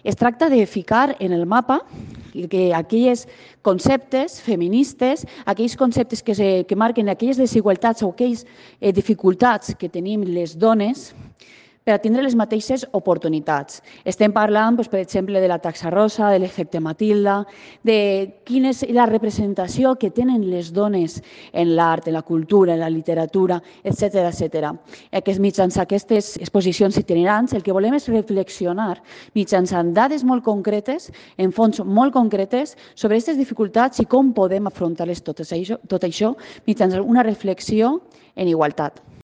Es tracta de ficar en el mapa aquells conceptes feministes, aquells conceptes que marquen aquelles desigualtats o aquelles dificultats que tenim les dones per a tindre les mateixes oportunitats. Estem parlant, per exemple, de la taxa rosa, de l'efecte Matilda, de quina és la representació que tenen les dones en l'art, en la cultura, en la literatura, etc. Mitjançant aquestes exposicions itinerants, el que volem és reflexionar mitjançant dades molt concretes, en fonts molt concretes, sobre aquestes dificultats i com podem afrontar-les tot això mitjançant una reflexió en igualtat.